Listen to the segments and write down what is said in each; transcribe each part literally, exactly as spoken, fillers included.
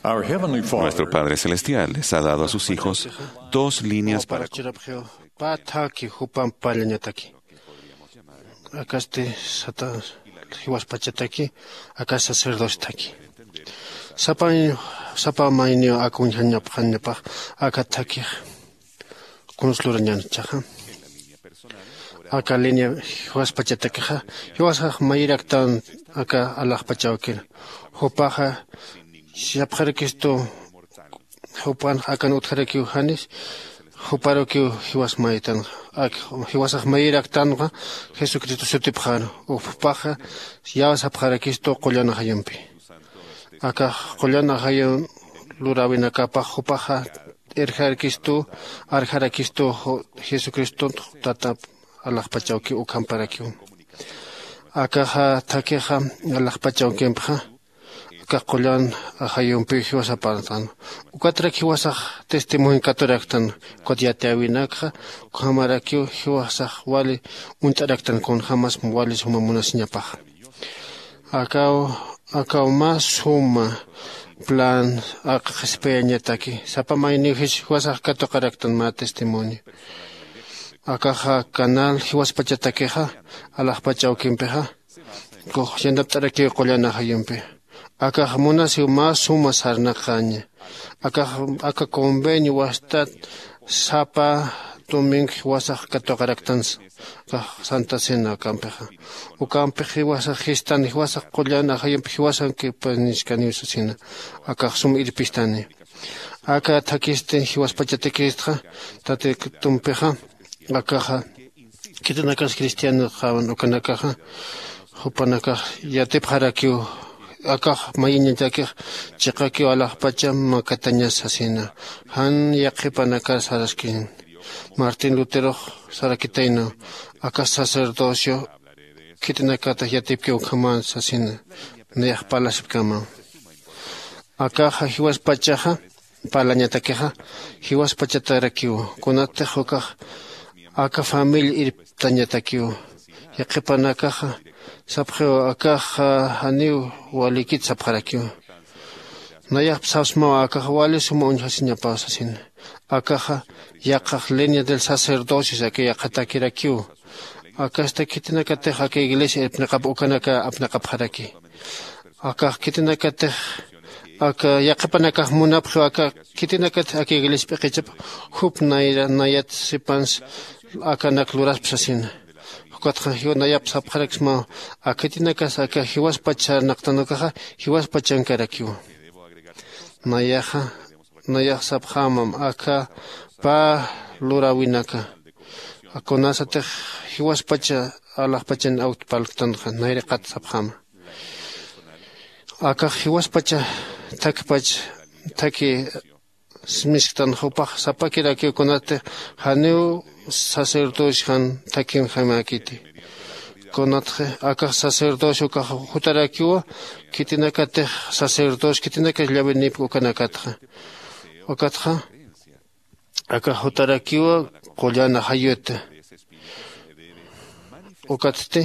Our Heavenly Father Nuestro Padre Celestial les ha dado a sus hijos dos líneas para churapxiw pä thaki jupamp parlañataki. Akasti sata jiwaspachataki, aka sacerdostaki. Sapa sapa mayniw akuñjañapxañapax aka thakix kunslurañanchaxa. Aka línea jiwaspachatakixa jiwasax mayiraktan aka alaxpachawkir. Jupaxa sapxarakistu jupan akan utjarakiw janis juparukiw jiwas mayitanxa. Ak jiwasax mayiraktanxa jesucristo sutipxaru. Jupaxa yäw sapxarakistu qullan ajayumpi. Akax qullan ajayun luräwinakapax jupaxa irjarakistu arjarakistu jesucristun tatap alaxpachawkiw ukhamparakiw. Akaxa thakixa alaxpachawkimpxa akax qullan ajayumpiw jiwasapartan. Ukatrak jiwasax testimonio katuraktan. Ukat yatiyäwinakxa ukhamarakiw jiwasax wali uñt'araktan kunjämas wali suma munasiñapaxa. Akaw akaw mä suma plan aka qhispiyañataki sapa mayniw jiwasax katuqaraktan mä testimonio. Akaxa canal jiwaspachatakixa alaxpach awkimpixa kux yanapt'arakiw qullan ajayumpi. Akax munasiw mä suma sarnaqaña. Akax aka convenio wastat sapa domingo jiwasax katuqaraktansa. Akax santa cena ukampixa ukampix jiwasax jistan jiwasax qullan ajayumpi jiwasankipañiskaniw sasina. Akax sum irpistani. Aka thakhisti jiwaspachatakistxa tatitumpixa akaxa khitinakas cristianoxawan ukanakaxa jupanakax yatipxarakiw. Akax mayiñatakix chiqakiw alaxpacha makatañas sasina. Jan yaqhipanakar saraskisna martín luterox sarakitaynaw aka sacerdocio khitinakatix yatipkiw ukhaman sasina. Nayax parlasipkamaw akaxa jiwaspachaxa parlañatakixa jiwaspachatarakiw. Kunatix ukax aka familia irptañatakiw. Yaqhipanakaxa sapxiw akaxa janiw walikit sapxarakiw. Nayax sapsmaw akaxa wali suma uñjasiñapaw sasina. Akaxa yaqax línea del sacerdocio saki yaqhatakirakiw. Akasta khitinakatix aka iglesia irpniqap ukanaka apniqapxaraki. Akax khitinakatix aka yaqhipanakax munapxiw aka khitinakatix aka iglesia p'iqichap jup nayra nayat sipans akanak luraspa sasina. Jukatxa jiwa nayap sapxaraksmaw. Aka khitinakas aka jiwaspach sarnaqtan ukaxa jiwaspachankarakiw. Nayaxa nayax sapxämam aka pä luräwinaka kunasatix jiwaspacha alaxpachan awt parlktanxa nayriqat sapxäma. Akax jiwaspacha thakpach thakhi smisktanxa jupax sapakirakiw kunatix janiw sacerdocio jan thakhinjamäkiti. Kunatxa akax sacerdocio ukax jutarakiwa khitinakatix sacerdocio khitinakas llavinipki ukanakatxa. Ukatxa akax jutarakiwa qullan ajayuta. Ukatsti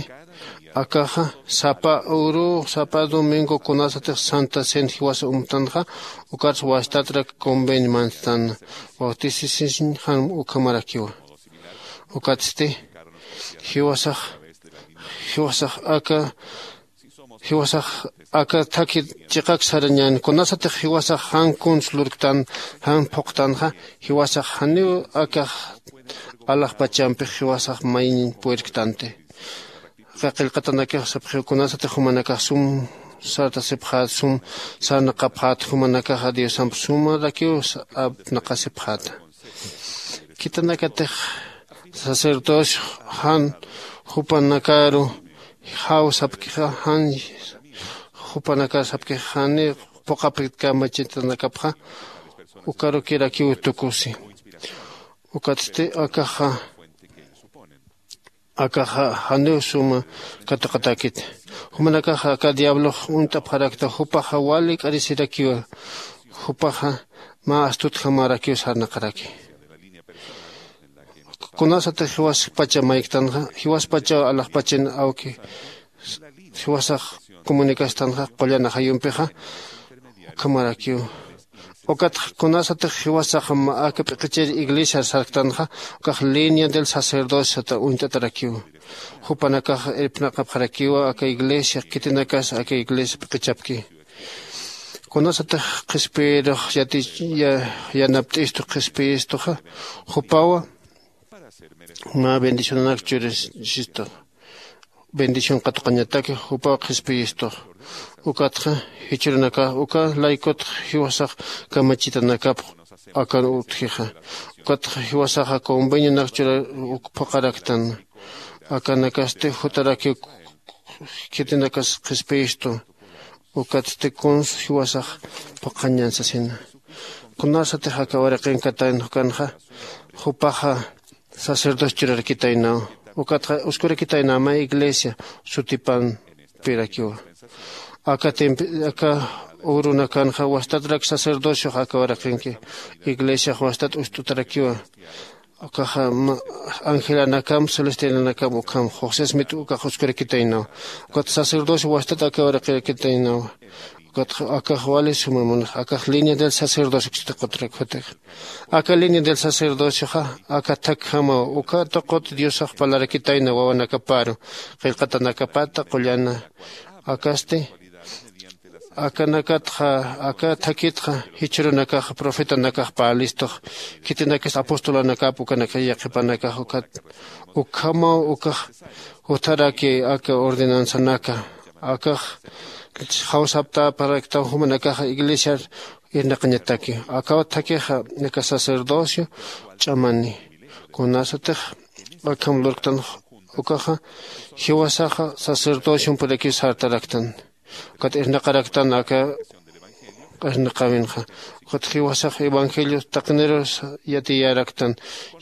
akaxa sapa uru sapa domingo kunasatix santa cena jiwasa umtanxa ukarsa wastatrak convenio manstana bautisisiñ jan ukhamarakiwa. Ukatsti jiwasax jiwasax aka jiwasax aka thakhi chiqak sarañän kunasatix jiwasax jan kuns lurktan jan phuqtanxa jiwasax janiw akax alaxpachampix jiwasax mayiñ purirktanti. Aka qillqatanakax sapxiw kunasatix jumanakax sum sartasipxät sum sarnaqapxät jumanakaxa diosamp sumarakiw apnaqasipxäta. Khitinakatix sacerdocio jan jupanakaru jaw sapkixa jan jupanakar sapkixa jani phuqapit kamachitanakapxa ukarukirakiw tukusi. Ukatsti akaxa akaxa janiw suma katuqatäkiti. Jumanakaxa aka diablox uñt'apxarakta jupaxa wali k'arisirakiwa. Jupaxa mä astutjamarakiw sarnaqaraki. Kunasatix jiwaspacha mayktanxa jiwaspachaw alaxpachin awki jiwasax comunicastanxa qullan ajayumpixa ukhamarakiw. Ukatxa kunasatix jiwasax aka p'iqichir iglesiar sarktanxa, ukax línea del sacerdociota uñt'atarakiwa. Jupanakax irpnaqapxarakiwa aka iglesia, khitinakas aka iglesia p'iqichapki. Kunasatix qhispiyirux yanapt'istu qhispiyistuxa, jupawa mä bendicionanak churisistu. Bendición katuqañataki jupaw qhispiyistux. Ukatxa jichhürunakax uka laykutx jiwasax kamachitanakapx akan utjixa. Ukatxa jiwasaxa convenionak chura phuqaraktan. Akanakasti jutaraki khitinakas qhispiyistu. Ukatsti kunsa jiwasax phuqhañan sasina. Kunasatix aka waraqin katan jukanxa, jupaxa sacerdocio churarakitaynaw. Ukatxa uskurakitaynaw mä iglesia sutipampirakiwa. Aka temp- aka urunakanxa wastatrak sacerdociox aka waraqinki iglesiax wastat ust'utarakiwa. Ukaxa angelanakam celestialanakam ukham josesmit ukax uskurakitaynaw. Ukat sacerdocio wastat aka waraqirkitaynaw. Ukat akax wali suma munax akax línea del sacerdocio ksitiqutrak jutix. Aka línea del sacerdocioxa aka thakjamaw uka tuqut diosax parlarakitayna wawanakaparu qillqatanakapata qullana. Akasti akanakatxa aka thakitxa jichhürunakax profetanakax parlastux. Khitinakis apostolanakap ukanakax yaqhipanakax ukat ukhamaw ukax jutharaki aka ordenanzanaka akax jawsaptaparaktaw jumanakaxa iglesiar irnaqañataki. Akaw thakixa aka sacerdocio ch'amani kunasatix akham lurktan ukaxa jiwasaxa sacerdociompirakiw sartaraktan. Ukat irnaqaraktan aka irnaqawinxa ukat jiwasax evangelio taqinirus yatiyaraktan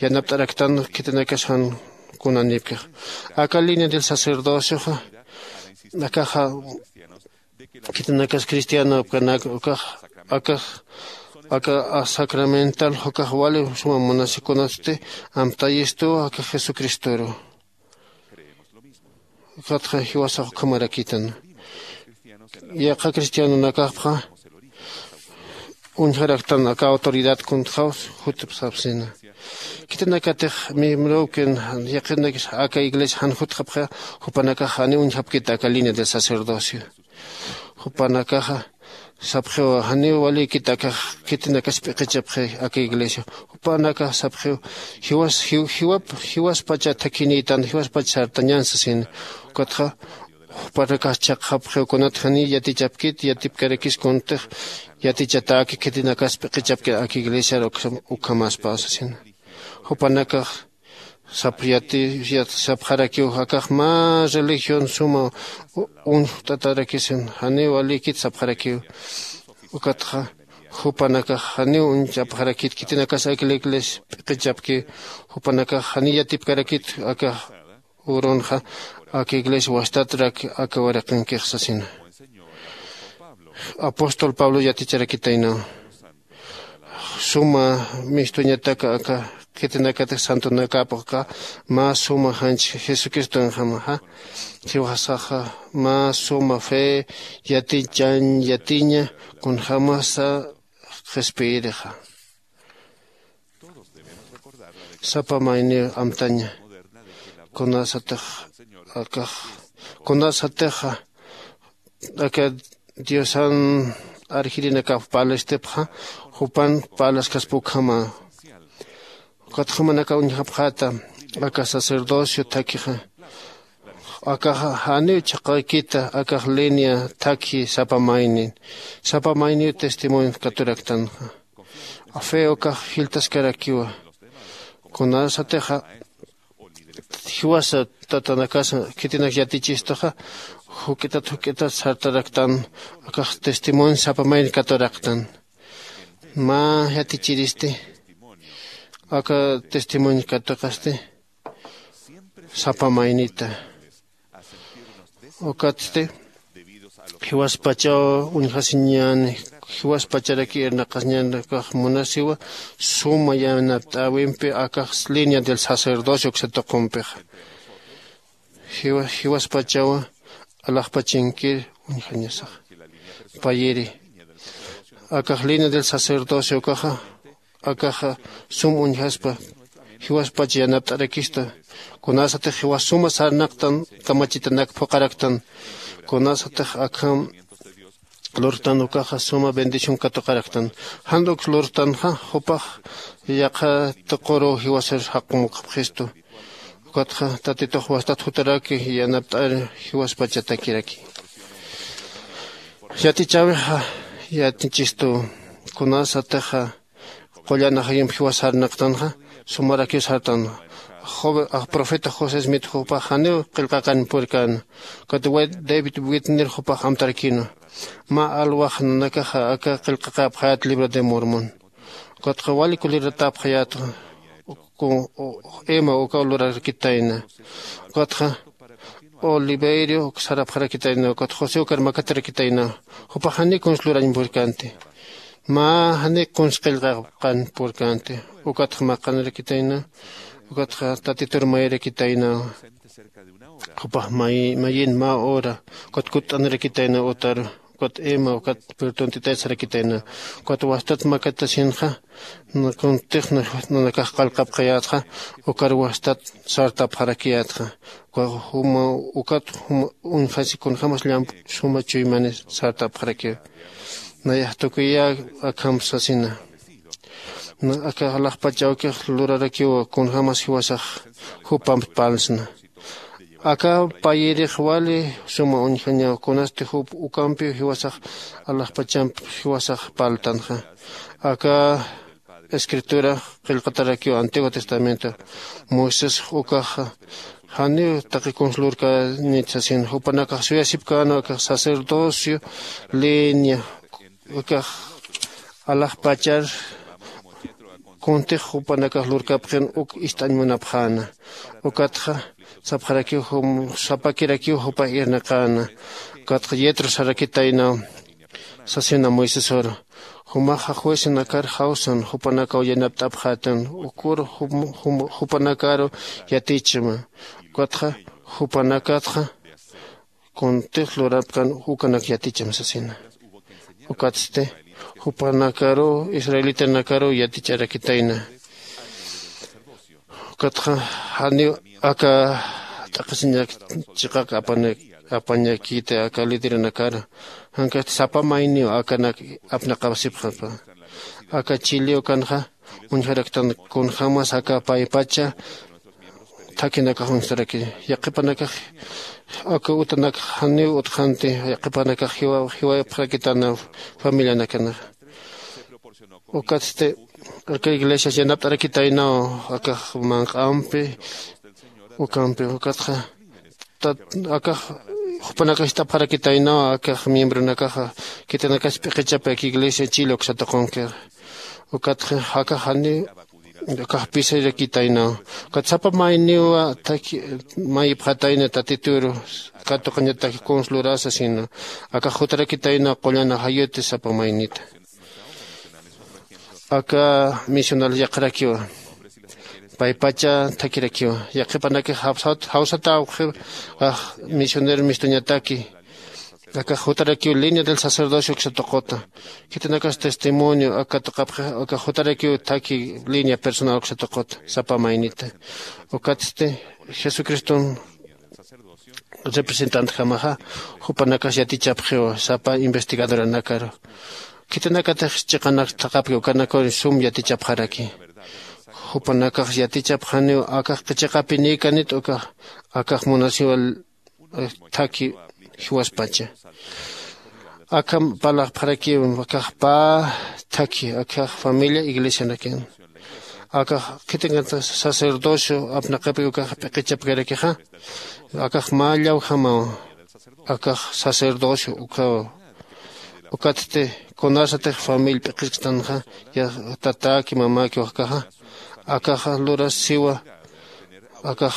yanapt'araktan khitinakas jan kunanipkix. Aka línea del sacerdocioxa akaxa khitinakas cristiano apkanak ukax akax aka sacramental ukax wali suma munasikunasti amtayistu aka jesucristoru. Ukatxa jiwasax ukhamarakitan. Yaqha cristianonakapxa uñjaraktan aka autoridad kuntxaw jutipxsapsina. Khitinakatix miembrokin yaqhinakis aka iglesia jan jutxapxa jupanakax janiw uñjapkit aka línea del sacerdocio. Jupanakaxa sapxiw janiw walikit akax khitinakas p'iqichapxi aka iglesia. Jupanakax sapxiw jiwas jiwap jiwaspacha thakhinïtan jiwaspacha sartañan sasin. Ukatxa jupanakax chhaqxapxiw kunat janiw yatichapkit yatipkarakis kuntix yatichatäki khitinakas p'iqichapkit aka iglesiar ukhamaspaw sasin. Jupanakax sapxarakiw akax mä religión suma uñjt'atarakisin janiw walikit sapxarakiw. Ukatxa jupanakax janiw uñchapxarakit khitinakas aka iglesia p'iqichapki. Jupanakax janiw yatipkarakit aka urunxa aka iglesia wastatrak aka wariqinkix sasina. Apóstol pablo yaticharakitaynaw suma mistuñataka aka khitinakatix santonakapxqa mä suma janch jesucristonjamaxa jiwasaxa mä suma fe yatichañ yatiña kunjämasa qhispiyirixa. Sapa mayniw amtaña kunasatix akax kunasatixa aka diosan arjirinakap parlastipxa jupan parlaskaspa ukhama. Ukat jumanaka uñjapxäta aka sacerdocio thakhixa akaxa janiw chhaqaykita akax línea thakhi sapa maynin sapa mayniw testimonio katuraktanxa. Fe ukax jilltaskarakiwa kunasatixa jiwasa tatanakasa khitinak yatichistuxa juk'itat juk'itat sartaraktan. Akax testimonio sapa mayni katuraktan mä yatichiristi aka testimonio katuqasti sapa maynita. Ukatsti jiwaspachaw uñjasiñäni jiwaspacharaki irnaqasiñäni akax munasiwa suma yanapt'äwimpi akax línea del sacerdocio uksa tuqumpixa. Jiwaspachawa alaxpachinkir uñjañasax payiri Akax línea del sacerdocio ukaxa akaxa sum uñjaspa jiwaspach yanapt'arakista. Kunasatix jiwas suma sarnaqtan kamachitanak phuqaraktan. Kunasatix akham lurtan ukaxa suma bendición katuqaraktan. Jan uk lurtanxa jupax yaqha tuquru jiwasar jaqumukxapxistu. Ukatxa tatitux wastat jutaraki yanapt'ar jiwaspachatakiraki. Yatichäwixa yatichistu kunasatixa qullan ajayump jiwas sarnaqtanxa sumarakiw sartan. Profeta josé smith jupax janiw qillqaqan purkän. Ukat david witner jupax amtarakïnwa mä alwax nanakaxa aka qillqaqäpxayät libro de mormón. Ukatxa wali kuliratäpxayätxa ema ukaw lurarakitayna. Ukatxa oliverio sarapxarakitayna ukat josé ukar makatarakitayna. Jupax janiw kuns lurañ purkänti. Mä janiw kuns qillqaqan purkänti. Ukatxa maqanarakitayna. Ukatxa tatitur mayarakitayna. Jupax mayin mä hora ukat kutt'anarakitayna utaru. Ukat ema ukat pirtuntitay sarakitayna. Ukat wastat makatasinxa kuntix nanakax qallqapxayätxa ukar wastat sartapxarakiyätxa. Ukat juma uñjasi kunjämas llamp suma chuymani sartapxarakiw. Nayax tukuyä akham sasina. Aka alaxpach awkix lurarakiw kunjämas jiwasax jupamp parlsna. Aka payirix wali suma uñjañaw kunasti jup ukampiw jiwasax alaxpachamp jiwasax parltanxa. Aka escritura qillqatarakiw antiguo testamento moisés ukaxa janiw taqi kuns lurkäñit sasin jupanakax suyasipkäna ukax sacerdocio línea ukax alaxpachar kuntix jupanakax lurkapxin uk ist'añ munapxäna. Ukatxa sapxarakiw sapakirakiw jupax irnaqäna. Ukatxa yetro sarakitaynaw sasina moisesor jumaxa juecenakar jawsan jupanakaw yanapt'apxätan ukur jupanakaru yatichma. Ukatxa jupanakatxa kuntix lurapkan ukanak yaticham sasina. Ukatsti jupanakaru israelitanakaru yatich'arakitayna. Ukatxa janiw aka t'aqhisiñak chiqak apañakiti aka lideranakara jankasti sapa mayniw akanak apnaqapsipxapa. Aka chiliw kanxa uñjaraktan kunjämas aka paypacha thakhinakax uñstaraki. Yaqhipanakax aka utanak janiw utxanti yaqhipanakax jiwapxarakitana familianakanaxa. Ukatsti aka iglesias yanapt'arakitaynaw akax manq'ampi ukampi ukatxa akax jupanakax ist'apxarakitaynaw akax miembronakaxa khitinakas p'iqichapi aka iglesia chile uksa tuqunki. Ukatxa akax janiw akax pisarakitaynaw. Ukat sapa mayniwa thakhi mayipxatayna tatituru katuqañatak kuns lurasa sino akax jutarakitaynaw qullan ajayuti sapa maynita. Aka misional yaqharakiwa paypacha thakhirakiwa. Yaqhipanakix jawsata awqhi misionero mistuñataki. Akax jutarakiw línea del sacerdocio uksa tuquta. Khitinakas testimonio aka tuqapxi akax jutarakiw thakhi línea personal uksa tuquta sapa maynita. Ukatsti jesucriston representantjamaxa jupanakas yatichapxiwa sapa investigadoranakaru. Khitinakatix chiqanak thaqhapki ukanakuri sum yatichapxaraki. Jupanakax yatichapxaniw akax chiqapinïkanit ukax akax munasiwa thakhi jiwaspacha. Akham parlaxpxarakiw akax pä thakhi akax familia iglesianakan akax khitinkantax sacerdocio apnaqapi ukax p'iqichapkarakixa. Akax mä llawjamaw akax sacerdocio ukhaw. Ukatsti kunasatix familia p'iqisktanxa tatäki mamäki wajkaxa akaxa lurasiwa akax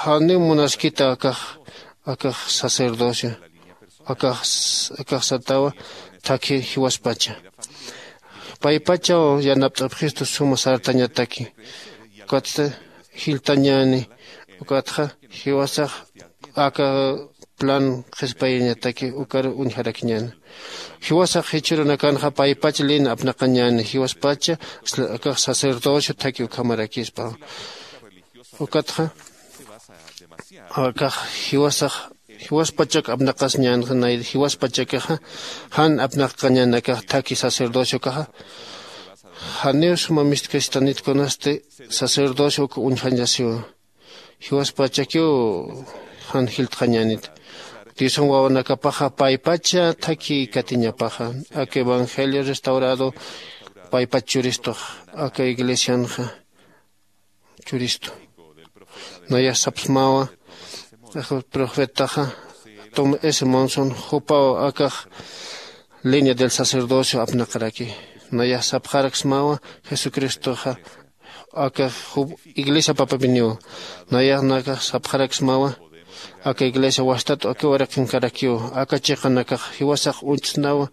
janiw munaskita akax akax sacerdocio akax akax satawa thakhi jiwaspacha. Paypachaw yanapt'apxistu suma sartañataki. Ukatsti jilltañäni ukatxa jiwasax aka plan qhispayñataki ukar uñjarakiñäni. Jiwasax jichhürunakanxa paypach lin apnaqañäni jiwaspacha akax sacerdocio thaki ukhamarakispa. Ukatxa akax jiwasax jiwaspachak apnaqasñänxa nay jiwaspachakaxa jan apnaqañäni akax thaki sacerdociokaxa. Janiw suma mistkastanit kunasti sacerdocio uk uñjañasiwa. Jiwaspachakiw jan jiltxañänit diosan wawanakapaxa paypacha thaki katiñapaxa. Aka evangelio restaurado paypach churistux aka iglesianxa churistu. Nayax sapsmawa profetaxa tom s monson jupaw akax línea del sacerdocio apnaqaraki. Nayax sapxaraksmawa jesucristoxa aka iglesia papapiniw. Nayax nakax sapxaraksmawa aka iglesia wastat aka wariqinkarakiw. Aka chiqanakax jiwasax uñtsnawa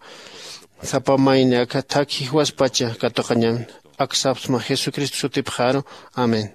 sapa mayni aka thak jiwaspacha katuqañan. Ak sapsma jesucristo sutipxaru. Amén.